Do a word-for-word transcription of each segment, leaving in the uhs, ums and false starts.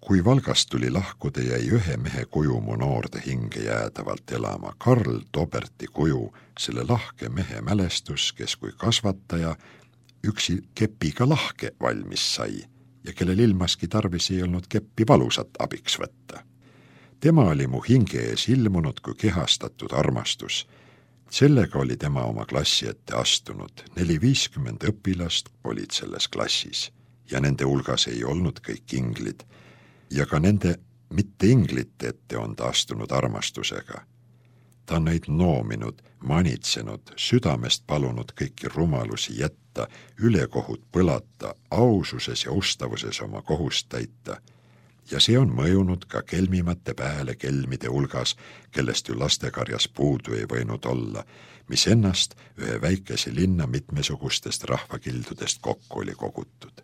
Kui Valgast tuli lahkuda, jäi ühe mehe kuju mu noorde hinge jäädavalt elama. Karl Toberti kuju, selle lahke mehe mälestus, kes kui kasvataja üksi kepiga lahke valmis sai ja kellel ilmaski tarvis ei olnud keppi valusat abiks võtta. Tema oli mu hinge ees ilmunud kui kehastatud armastus. Sellega oli tema oma klassi ette astunud. Neli viiskümmend õpilast olid selles klassis ja nende hulgas ei olnud kõik inglid. Ja ka nende mitte inglite ette on ta astunud armastusega. Ta on neid noominud, manitsenud, südamest palunud kõiki rumalusi jätta, ülekohut põlata, aususes ja ustavuses oma kohust täita. Ja see on mõjunud ka kelmimate pääle kelmide hulgas, kellest ju lastekarjas puudu ei võinud olla, mis ennast ühe väikese linna mitmesugustest rahvakildudest kokku oli kogutud.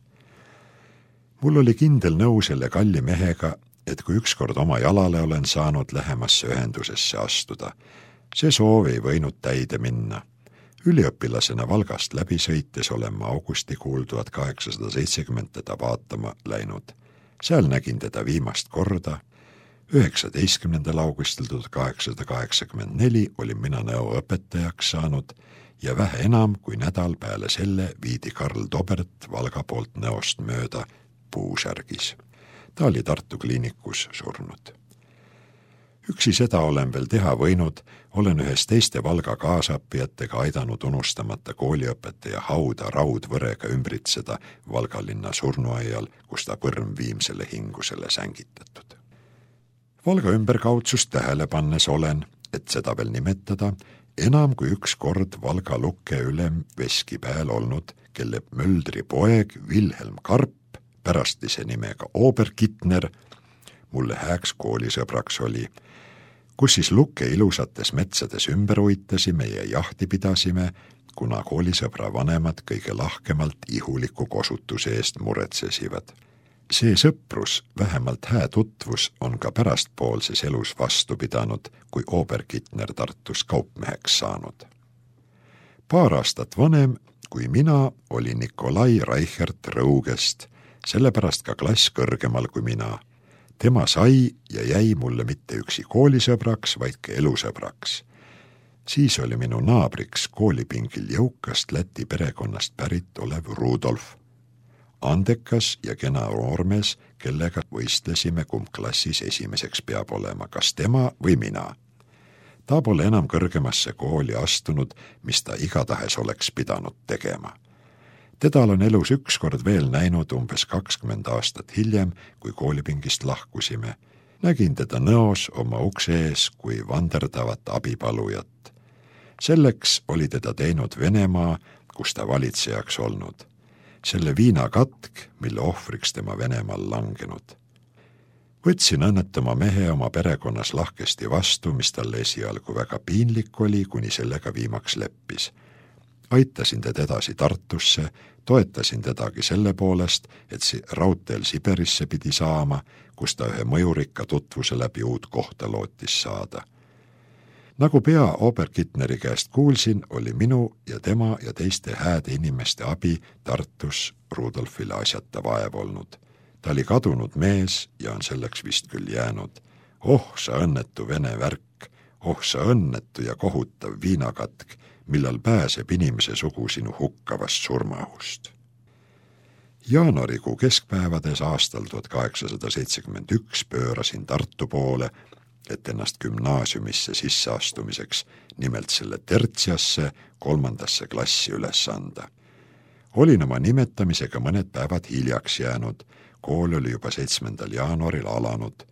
Mul oli kindel nõu selle kalli mehega, et kui ükskord oma jalale olen saanud lähemasse ühendusesse astuda. See soov ei võinud täide minna. Üliõpilasena Valgast läbi sõites olen ma augustikuul tuhat kaheksasada seitsekümmend teda vaatama läinud. Seal nägin teda viimast korda. üheksateistkümnendal augustil tuhat kaheksasada kaheksakümmend neli olin mina nõuõpetajaks saanud ja vähe enam kui nädal peale selle viidi Karl Tobert Valga poolt Nõost mööda puusärgis. Ta oli Tartu kliinikus surnud. Üksi seda olen veel teha võinud, olen ühes teiste Valga kaasapijatega aidanud unustamata kooliõpetaja hauda raudvõrega ümbritseda Valga linna surnuaial, kus ta põrm viimsele hingusele sängitatud. Valga ümberkaudsust tähele pannes olen, et seda veel nimetada, enam kui üks kord Valga lukke ülem Veskipäel olnud, kelle Möldri poeg Vilhelm Karp, pärastlise nimega Oberkittner, mulle hääks koolisõbraks oli, kus siis lukke ilusates metsades ümber uitasime ja jahti pidasime, kuna koolisõbra vanemad kõige lahkemalt ihuliku kosutuse eest muretsesivad. See sõprus, vähemalt hää tutvus, on ka pärastpoolses elus vastu pidanud, kui Oberkittner Tartus kaupmeheks saanud. Paar aastat vanem, kui mina, oli Nikolai Reichert Rõugest, sellepärast ka klass kõrgemal kui mina. Tema sai ja jäi mulle mitte üksi koolisõbraks, vaid ka elusõbraks. Siis oli minu naabriks koolipingil jõukast Läti perekonnast pärit olev Rudolf. Andekas ja kena noormees, kellega võistlesime, kumb klassis esimeseks peab olema, kas tema või mina. Ta pole enam kõrgemasse kooli astunud, mis ta igatahes oleks pidanud tegema. Teda olen elus ükskord veel näinud umbes kakskümmend aastat hiljem, kui koolipingist lahkusime. Nägin teda Nõos oma ukse ees kui vanderdavat abipalujat. Selleks oli teda teinud Venemaa, kus ta valitsejaks olnud. Selle viinakatk, mille ohvriks tema Venemaal langenud. Võtsin õnnetama mehe oma perekonnas lahkesti vastu, mis talle esialgu väga piinlik oli, kuni sellega viimaks leppis. Aitasin teda edasi Tartusse, toetasin tedagi selle poolest, et si raudteel Siberisse pidi saama, kus ta ühe mõjurikka tutvuse läbi uut kohta lootis saada. Nagu pea Oberkittneri käest kuulsin, oli minu ja tema ja teiste hääde inimeste abi Tartus Rudolfile asjata vaev olnud. Ta oli kadunud mees ja on selleks vist küll jäänud. Oh, sa õnnetu vene värk, oh, sa õnnetu ja kohutav viinakatk, millal pääseb inimese sugu sinu hukkavast surmahust. Jaanuarikuu keskpäevades aastal tuhat kaheksasada seitsekümmend üks pöörasin Tartu poole, et ennast gümnaasiumisse sisseastumiseks, nimelt selle tertsiasse, kolmandasse klassi üles anda. Olin oma nimetamisega mõned päevad hiljaks jäänud, kool oli juba seitsmendal jaanuaril alanud.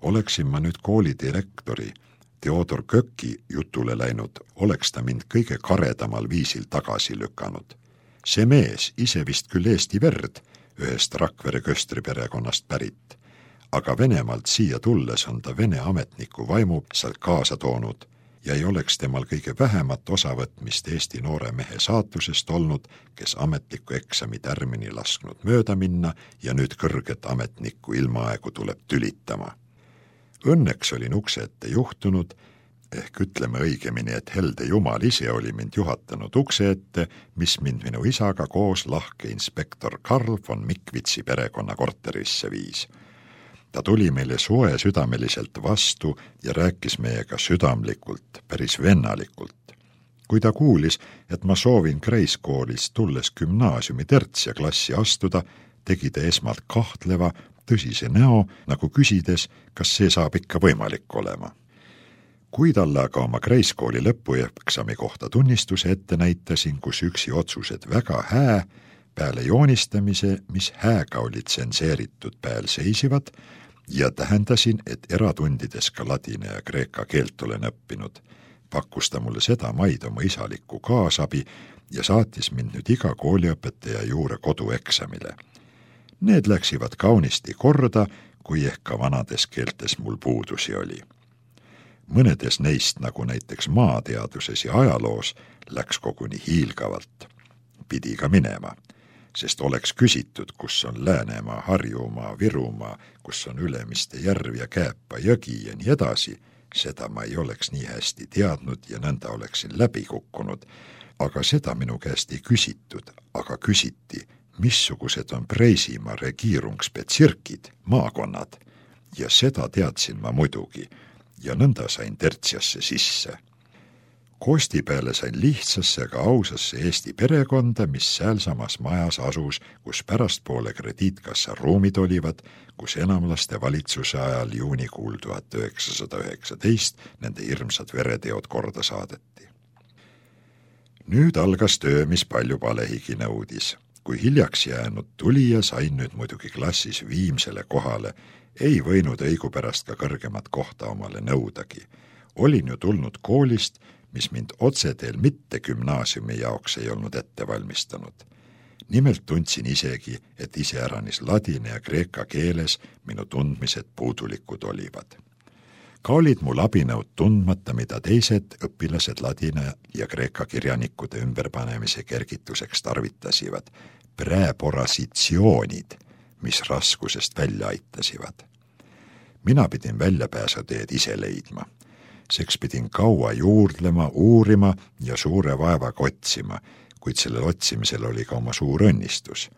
Oleksin ma nüüd kooli direktori, Theodor Köki jutule läinud, oleks ta mind kõige karedamal viisil tagasi lükanud. See mees ise vist küll Eesti verd, ühest Rakvere Köstri perekonnast pärit, aga Venemaalt siia tulles on ta Vene ametniku vaimu sealt kaasa toonud ja ei oleks temal kõige vähemat osavõtmist Eesti noore mehe saatusest olnud, kes ametliku eksami tärmini lasknud mööda minna ja nüüd kõrget ametnikku ilmaaegu tuleb tülitama. Õnneks olin ukse ette juhtunud, ehk ütleme õigemini, et helde jumal ise oli mind juhatanud ukse ette, mis mind minu isaga koos lahke inspektor Karl von Mikvitsi perekonna korterisse viis. Ta tuli meile soe südameliselt vastu ja rääkis meiega südamlikult, päris vennalikult. Kui ta kuulis, et ma soovin Kreiskoolist tulles gümnaasiumi tertsia klassi astuda, tegi ta esmalt kahtleva, tõsise näo, nagu küsides, kas see saab ikka võimalik olema. Kui talle aga oma Kreiskooli lõpueksami kohta tunnistuse ette näitasin, kus üksi otsused väga hää, peale joonistamise, mis hääga oli tsenseeritud pääl seisivad, ja tähendasin, et eratundides ka ladina ja kreeka keelt olen õppinud, pakkus ta mulle seda maid oma isalikku kaasabi ja saatis mind nüüd iga kooliõpetaja juure kodueksamile. Need läksivad kaunisti korda, kui ehk ka vanades keeltes mul puudusi oli. Mõnedes neist, nagu näiteks maateaduses ja ajaloos, läks koguni hiilgavalt. Pidi ka minema, sest oleks küsitud, kus on Läänemaa, Harjumaa, Virumaa, kus on Ülemiste järv ja Kääpa jõgi ja nii edasi, seda ma ei oleks nii hästi teadnud ja nõnda oleksin läbi kukkunud, aga seda minu käest ei küsitud, aga küsiti, missugused on Preisimaa regiirungsbezirkid, maakonnad, ja seda teadsin ma muidugi, ja nõnda sain tertsiasse sisse. Koosti peale sain lihtsasse aga ausasse Eesti perekonda, mis säälsamas majas asus, kus pärastpoole krediitkassa ruumid olivad, kus enamlaste valitsuse ajal juunikuul tuhat üheksasada üheksateist nende hirmsad vereteod korda saadeti. Nüüd algas töö, mis palju palehigi nõudis. Kui hiljaks jäänud tulija sain nüüd muidugi klassis viimsele kohale, ei võinud õigupärast ka kõrgemat kohta omale nõudagi. Olin ju tulnud koolist, mis mind otseteel mitte gümnaasiumi jaoks ei olnud ette valmistanud. Nimelt tundsin isegi, et iseäranis ladina ja kreeka keeles minu tundmised puudulikud olivad. Ka olid mul abinõud tundmata, mida teised õpilased ladina ja kreeka kirjanikude ümberpanemise kergituseks tarvitasivad, preporasitsioonid, mis raskusest välja aitasivad. Mina pidin väljapääsuteed ise leidma. Seks pidin kaua juurdlema, uurima ja suure vaevaga otsima, kuid sellel otsimisel oli ka oma suur õnnistus.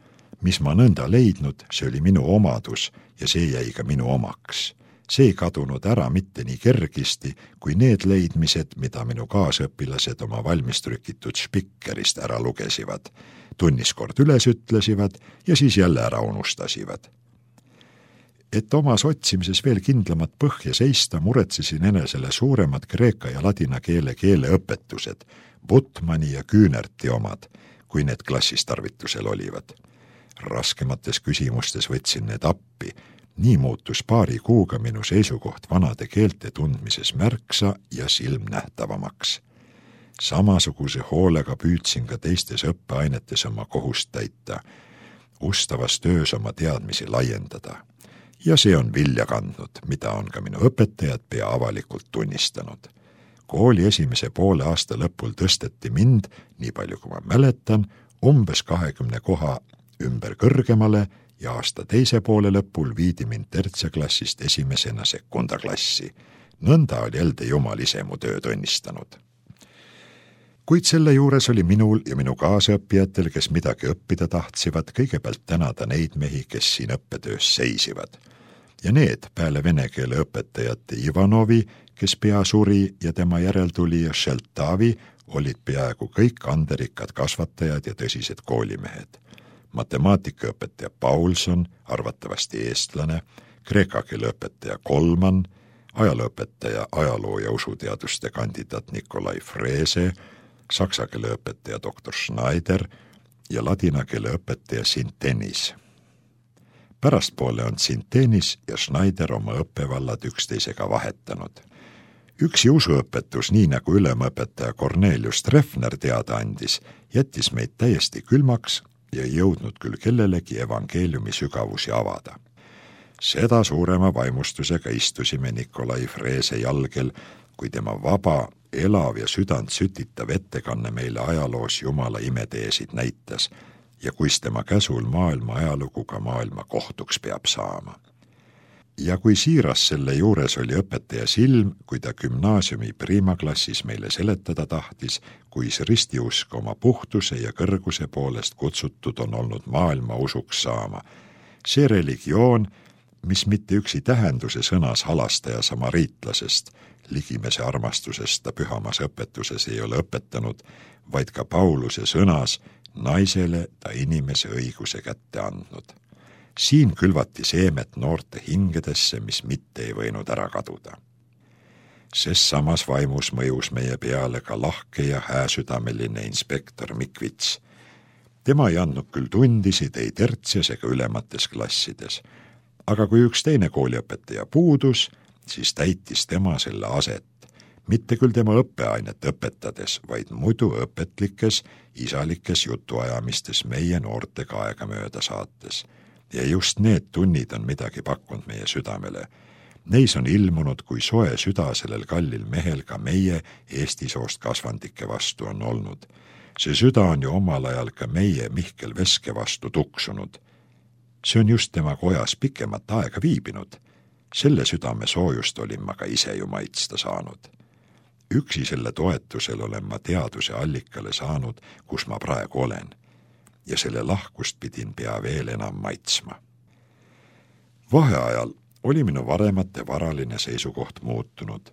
Mis ma nõnda leidnud, see oli minu omadus ja see jäi ka minu omaks. See ei kadunud ära mitte nii kergisti, kui need leidmised, mida minu kaasõpilased oma valmistrükitud spikkerist ära lugesivad, tunniskord üles ütlesivad ja siis jälle ära unustasivad. Et omas otsimises veel kindlamat põhja seista, muretsesin enesele suuremad kreeka ja ladina keele keeleõpetused, Butmani ja Küünerti omad, kui need klassis tarvitusel olivad. Raskemates küsimustes võtsin need appi. Nii muutus paari kuuga minu seisukoht vanade keelte tundmises märksa ja silmnähtavamaks. Samasuguse hoolega püüdsin ka teistes õppeainetes oma kohust täita, ustavas töös oma teadmisi laiendada. Ja see on vilja kandnud, mida on ka minu õpetajad pea avalikult tunnistanud. Kooli esimese poole aasta lõpul tõsteti mind, nii palju kui ma mäletan, umbes kahekümne koha ümber kõrgemale ja aasta teise poole lõpul viidi mind tertsiaklassist esimesena sekundaklassi. Nõnda oli elde jumal ise mu töö tunnistanud. Kuid selle juures oli minul ja minu kaasõppijatel, kes midagi õppida tahtsиvad, kõigepealt tänada neid mehi, kes siin õppetöös seisivad. Ja need peale vene keele õpetajate Ivanovi, kes pea suri ja tema järeltulija Šeltavi, olid peaaegu kõik anderikad kasvatajad ja tõsised koolimehed. Matemaatikaõpetaja Paulson, arvatavasti eestlane, kreeka keele õpetaja Kolman, ajalooõpetaja ajaloo- ja usuteaduste kandidaat Nikolai Frese, saksa keele õpetaja doktor Schneider ja ladina keele õpetaja Sintenis. Pärastpoole on Sintenis ja Schneider oma õppevallad üksteisega vahetanud. Üksi usuõpetus, nii nagu ülemõpetaja Cornelius Treffner teada andis, jättis meid täiesti külmaks ja ei jõudnud küll kellelegi evangeeliumi sügavusi avada. Seda suurema vaimustusega istusime Nikolai Frese jalgel, kui tema vaba, elav ja südant sütitav ettekanne meile ajaloos Jumala imeteesid näitas ja kuis tema käsul maailma ajalugu ka maailma kohtuks peab saama. Ja kui siiras selle juures oli õpetaja silm, kui ta gümnaasiumi priimaklassis meile seletada tahtis, kuis ristiusk oma puhtuse ja kõrguse poolest kutsutud on olnud maailma usuks saama. See religioon, mis mitte üksi tähenduse sõnas halastaja samariitlasest, ligimese armastusest ta pühamas õpetuses ei ole õpetanud, vaid ka Pauluse sõnas naisele ta inimese õiguse kätte andnud. Siin külvati seemet noorte hingedesse, mis mitte ei võinud ära kaduda. Sest samas vaimus mõjus meie peale ka lahke ja hääsüdameline inspektor Mikvits. Tema ei andnud küll tundisid ei tertsias ega ülemates klassides, aga kui üks teine kooliõpetaja puudus, siis täitis tema selle aset, mitte küll tema õppeainet õpetades, vaid muidu õpetlikes, isalikes jutuajamistes meie noortega aega mööda saates. Ja just need tunnid on midagi pakkunud meie südamele. Neis on ilmunud, kui soe süda sellel kallil mehel ka meie Eesti soost kasvandike vastu on olnud. See süda on ju omal ajal ka meie Mihkel Veske vastu tuksunud. See on just tema kojas pikemat aega viibinud. Selle südame soojust olin ma ka ise ju maitsta saanud. Üksi selle toetusel olen ma teaduse allikale saanud, kus ma praegu olen. Ja selle lahkust pidin pea veel enam maitsma. Vaheajal oli minu varemate varaline seisukoht muutunud.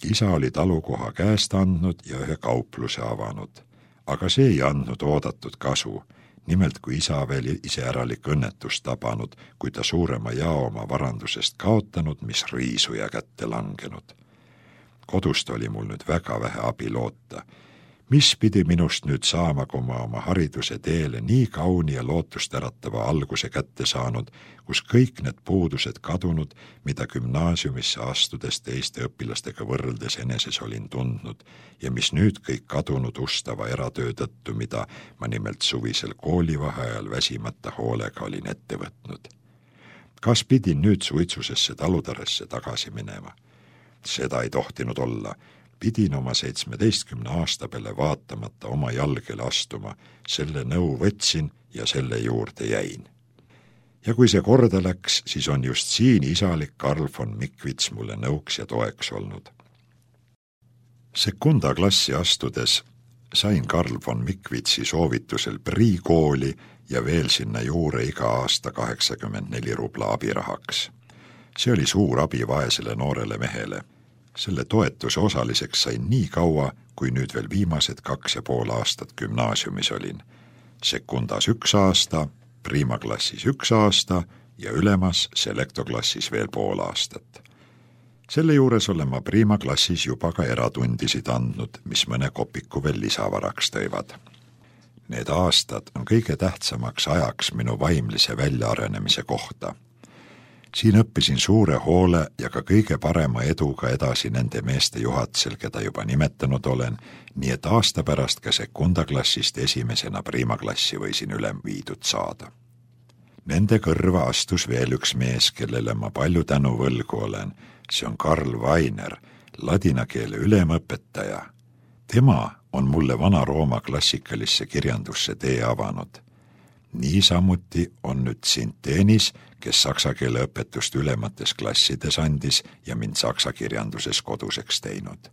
Isa oli talukoha käest andnud ja ühe kaupluse avanud, aga see ei andnud oodatud kasu. Nimelt kui isa veel iseäralik õnnetust tabanud, kui ta suurema jao oma varandusest kaotanud, mis riisuja kätte langenud. Kodust oli mul nüüd väga vähe abi loota. Mis pidi minust nüüd saama, kui ma oma hariduse teele nii kauni ja lootust äratava alguse kätte saanud, kus kõik need puudused kadunud, mida gümnaasiumisse astudes teiste õpilastega võrreldes eneses olin tundnud ja mis nüüd kõik kadunud ustava eratöö tõttu, mida ma nimelt suvisel koolivaheajal väsimata hoolega olin ette võtnud. Kas pidin nüüd suitsusesse talutaresse tagasi minema? Seda ei tohtinud olla. Pidin oma seitsmeteistkümne aasta peale vaatamata oma jalgele astuma, selle nõu võtsin ja selle juurde jäin. Ja kui see korda läks, siis on just siin isalik Karl von Mikvits mulle nõuks ja toeks olnud. Sekunda klassi astudes sain Karl von Mikvitsi soovitusel priikooli ja veel sinna juure iga aasta kaheksakümmend neli rubla abirahaks. See oli suur abi vaesele noorele mehele. Selle toetuse osaliseks sain nii kaua, kui nüüd veel viimased kaks ja pool aastat gümnaasiumis olin. Sekundas üks aasta, priimaklassis üks aasta ja ülemas selektoklassis veel pool aastat. Selle juures olen ma priimaklassis juba ka eratundisid andnud, mis mõne kopiku veel lisavaraks tõivad. Need aastad on kõige tähtsamaks ajaks minu vaimlise väljaarenemise kohta. Siin õppisin suure hoole ja ka kõige parema eduga edasi nende meeste juhatsel, keda juba nimetanud olen, nii et aasta pärast ka sekundaklassist esimesena priimaklassi võisin ülem viidud saada. Nende kõrva astus veel üks mees, kellele ma palju tänu võlgu olen. See on Karl Vainer, ladina keele ülemõpetaja. Tema on mulle Vana-Rooma klassikalisse kirjandusse tee avanud. Niisamuti on nüüd Sinteenis, kes saksa keele õpetust ülemates klassides andis ja mind saksa kirjanduses koduseks teinud.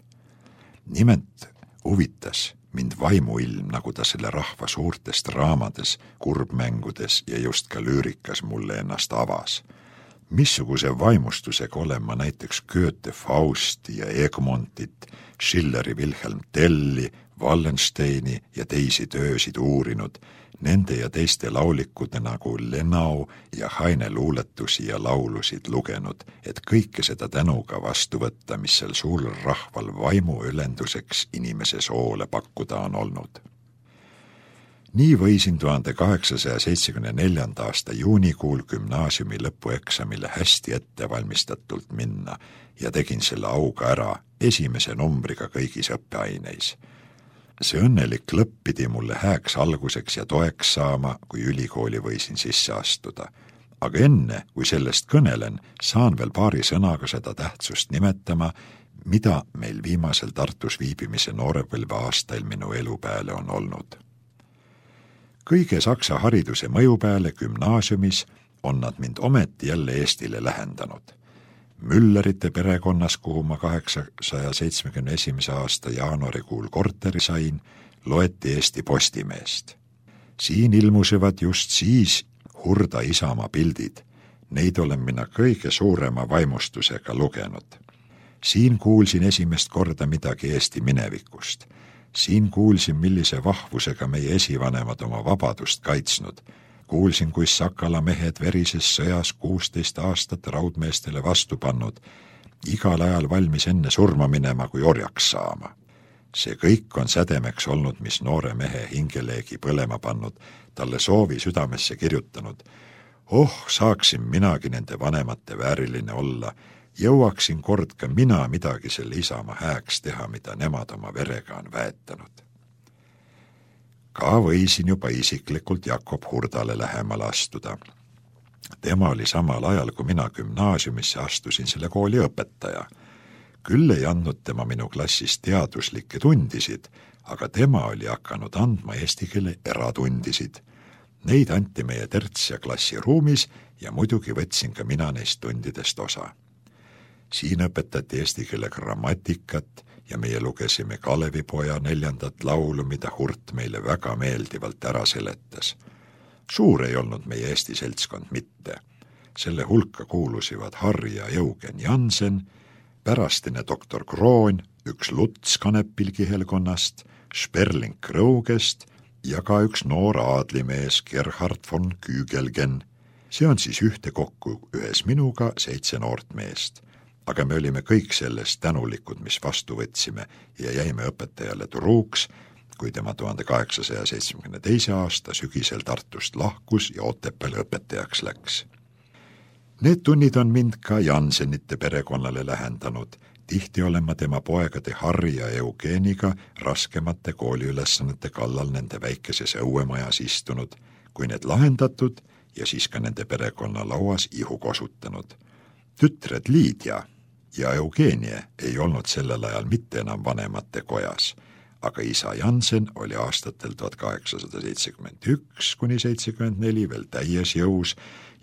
Nimelt huvitas mind vaimuilm, nagu ta selle rahva suurtest raamades, kurbmängudes ja just ka lüürikas mulle ennast avas. Missuguse vaimustusega olen ma näiteks Goethe Fausti ja Egmontit, Schilleri Wilhelm Telli, Wallensteini ja teisi töösid uurinud, nende ja teiste laulikude nagu Lenau ja Haine luuletusi ja laulusid lugenud, et kõike seda tänuga vastu võtta, mis sel suurel rahval vaimu ülenduseks inimese soole pakkuda on olnud. Nii võisin tuhande kaheksasaja seitsmekümne neljanda aasta juunikuul gümnaasiumi lõpueksamile hästi ette valmistatult minna ja tegin selle auga ära esimese numbriga kõigis õppeaineis. See õnnelik lõpp pidi mulle hääks alguseks ja toeks saama, kui ülikooli võisin sisse astuda. Aga enne, kui sellest kõnelen, saan veel paari sõnaga seda tähtsust nimetama, mida meil viimasel Tartus viibimise noorepõlve aastail minu elu peale on olnud. Kõige saksa hariduse mõju peale gümnaasiumis on nad mind ometi jälle Eestile lähendanud. Müllerite perekonnas, kuhu ma kaheksasaja seitsmekümne esimese aasta jaanuarikuul korteri sain, loeti Eesti Postimeest. Siin ilmusevad just siis hurda Isamaa pildid. Neid olen mina kõige suurema vaimustusega lugenud. Siin kuulsin esimest korda midagi Eesti minevikust. Siin kuulsin, millise vahvusega meie esivanemad oma vabadust kaitsnud. Kuulsin, kuis Sakala mehed verises sõjas kuusteist aastat raudmeestele vastu pannud, igal ajal valmis enne surma minema kui orjaks saama. See kõik on sädemeks olnud, mis noore mehe hingeleegi põlema pannud, talle soovi südamesse kirjutanud. Oh, saaksin minagi nende vanemate vääriline olla, jõuaksin kord ka mina midagi selle isamaa hääks teha, mida nemad oma verega on väetanud. Ka võisin juba isiklikult Jakob Hurdale lähemale astuda. Tema oli samal ajal, kui mina gümnaasiumisse astusin selle kooli õpetaja. Küll ei andnud tema minu klassis teaduslikke tundisid, aga tema oli hakanud andma eesti keele eratundisid. Neid anti meie terts- ja klassiruumis ja muidugi võtsin ka mina neist tundidest osa. Siin õpetati eesti keele grammatikat ja meie lugesime Kalevipoja neljandat laulu, mida Hurt meile väga meeldivalt ära seletas. Suur ei olnud meie Eesti seltskond mitte. Selle hulka kuulusivad Harri ja Eugen Jansen, pärastine doktor Kroon, üks Luts Kanepilgihelkonnast, Sperling Krõugest ja ka üks noor aadlimees Gerhard von Kügelgen. See on siis ühte kokku ühes minuga seitse noort meest. Aga me olime kõik sellest tänulikud, mis vastu võtsime ja jäime õpetajale truuks, kui tema tuhande kaheksasaja seitsmekümne teise aasta sügisel Tartust lahkus ja Otepääle õpetajaks läks. Need tunnid on mind ka Jansenite perekonnale lähendanud. Tihti olen ma tema poegade Harri ja Eugeniga raskemate kooliülesannete kallal nende väikeses õuemajas istunud, kui need lahendatud ja siis ka nende perekonna lauas ihu kosutanud. Tütred Liidia ja Eugenie ei olnud sellel ajal mitte enam vanemate kojas, aga isa Jansen oli aastatel tuhat kaheksasada seitsekümmend üks kuni seitsekümmend neli veel täies jõus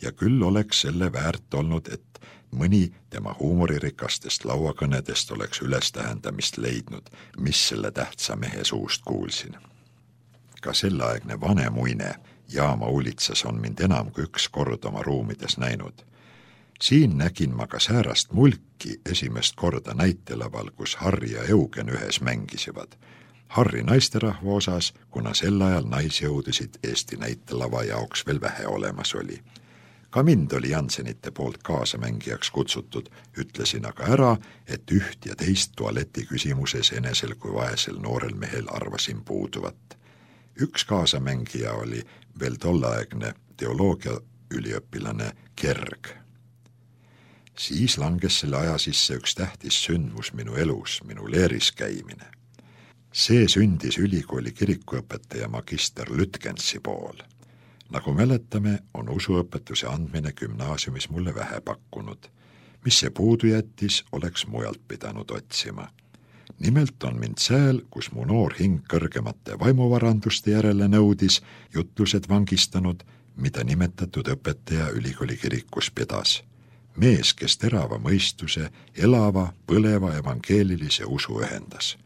ja küll oleks selle väärt olnud, et mõni tema huumoririkastest lauakõnedest oleks ülestähendamist leidnud, mis selle tähtsa mehe suust kuulsin. Ka selleaegne vanemuine Jaama ulitsas on mind enam kui üks kord oma ruumides näinud. Siin nägin ma ka säärast mulki esimest korda näitelaval, kus Harri ja Eugen ühes mängisivad. Harri naisterahva osas, kuna sel ajal naisjõudusid Eesti näitelava jaoks veel vähe olemas oli. Ka mind oli Jansenite poolt kaasamängijaks kutsutud, ütlesin aga ära, et üht ja teist tualeti küsimuses enesel kui vaesel noorel mehel arvasin puuduvat. Üks kaasamängija oli veel tolleaegne teoloogia üliõpilane Kerg. Siis langes selle aja sisse üks tähtis sündmus minu elus, minu leeris käimine. See sündis ülikooli kirikuõpetaja magister Lütgensi pool. Nagu mäletame, on usuõpetuse andmine gümnaasiumis mulle vähe pakkunud. Mis see puudu jättis, oleks mujalt pidanud otsima. Nimelt on mind sääl, kus mu noor hing kõrgemate vaimuvaranduste järele nõudis, jutlused vangistanud, mida nimetatud õpetaja ülikooli kirikus pidas. Mees, kes terava mõistuse, elava, põleva evangeelilise usu ühendas.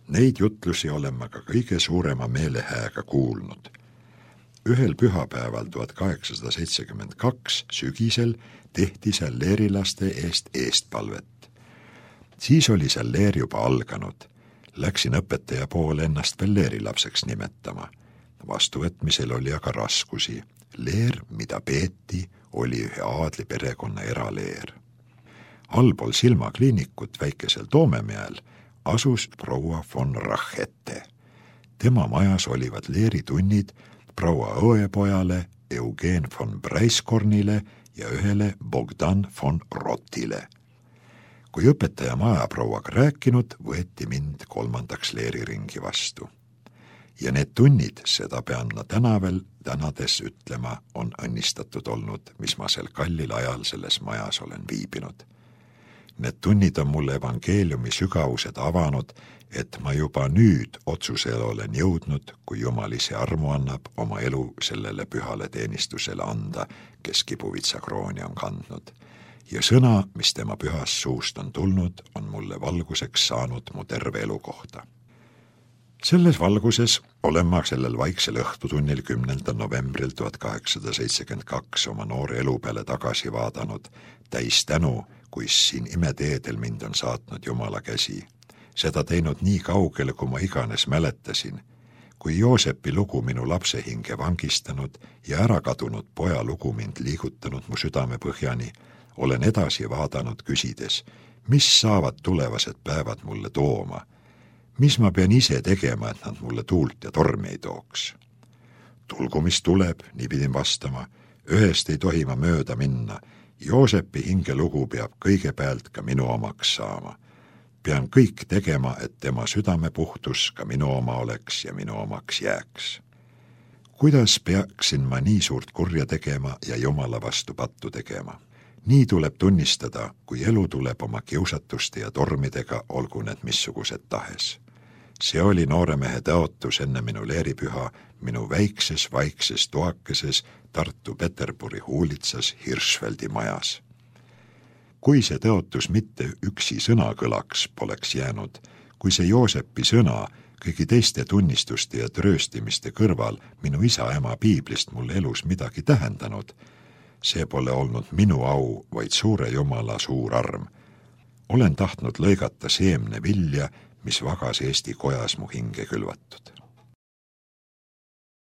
Neid jutlusi olen ma ka kõige suurema meelehääga kuulnud. Ühel pühapäeval tuhat kaheksasada seitsekümmend kaks sügisel tehti seal leerilaste eest eestpalvet. Siis oli seal leer juba alganud. Läksin õpetaja poole ennast veel leerilapseks nimetama. Vastuvõtmisel oli aga raskusi. Leer, mida peeti, oli ühe aadli perekonna eraleer. Allpool silmakliinikut väikesel Toomemäel asus proua von Rachete. Tema majas olivad leeritunnid proua õepojale Eugen von Breiskornile ja ühele Bogdan von Rottile. Kui õpetaja majaprouaga rääkinud, võeti mind kolmandaks leeriringi vastu. Ja need tunnid, seda pean ma täna veel tänades ütlema, on õnnistatud olnud, mis ma sel kallil ajal selles majas olen viibinud. Need tunnid on mulle evangeeliumi sügavused avanud, et ma juba nüüd otsusele olen jõudnud, kui Jumal ise armu annab oma elu sellele pühale teenistusele anda, kes kibuvitsa krooni on kandnud. Ja sõna, mis tema pühast suust on tulnud, on mulle valguseks saanud mu terve elu kohta. Selles valguses olen ma sellel vaiksel õhtutunnil kümnendal novembril tuhat kaheksasada seitsekümmend kaks oma noore elu peale tagasi vaadanud, täis tänu, kuis siin imeteedel mind on saatnud Jumala käsi. Seda teinud nii kaugele, kui ma iganes mäletasin, kui Joosepi lugu minu lapse hinge vangistanud ja ära kadunud poja lugu mind liigutanud mu südame põhjani, olen edasi vaadanud küsides, mis saavad tulevased päevad mulle tooma, mis ma pean ise tegema, et nad mulle tuult ja tormi ei tooks. Tulgu, mis tuleb, nii pidin vastama, ühest ei tohi ma mööda minna, Joosepi hingelugu peab kõigepealt ka minu omaks saama. Pean kõik tegema, et tema südame puhtus ka minu oma oleks ja minu omaks jääks. Kuidas peaksin ma nii suurt kurja tegema ja Jumala vastu pattu tegema? Nii tuleb tunnistada, kui elu tuleb oma kiusatuste ja tormidega, olgu need missugused tahes. See oli nooremehe tõotus enne minu leeripüha minu väikses vaikses toakeses Tartu Peterburi huulitsas Hirschfeldi majas. Kui see tõotus mitte üksi sõna kõlaks poleks jäänud, kui see Joosepi sõna kõigi teiste tunnistuste ja trööstimiste kõrval minu isa-ema piiblist mul elus midagi tähendanud, see pole olnud minu au, vaid suure Jumala suur arm. Olen tahtnud lõigata seemne vilja, mis vagas Eesti kojas mu hinge külvatud.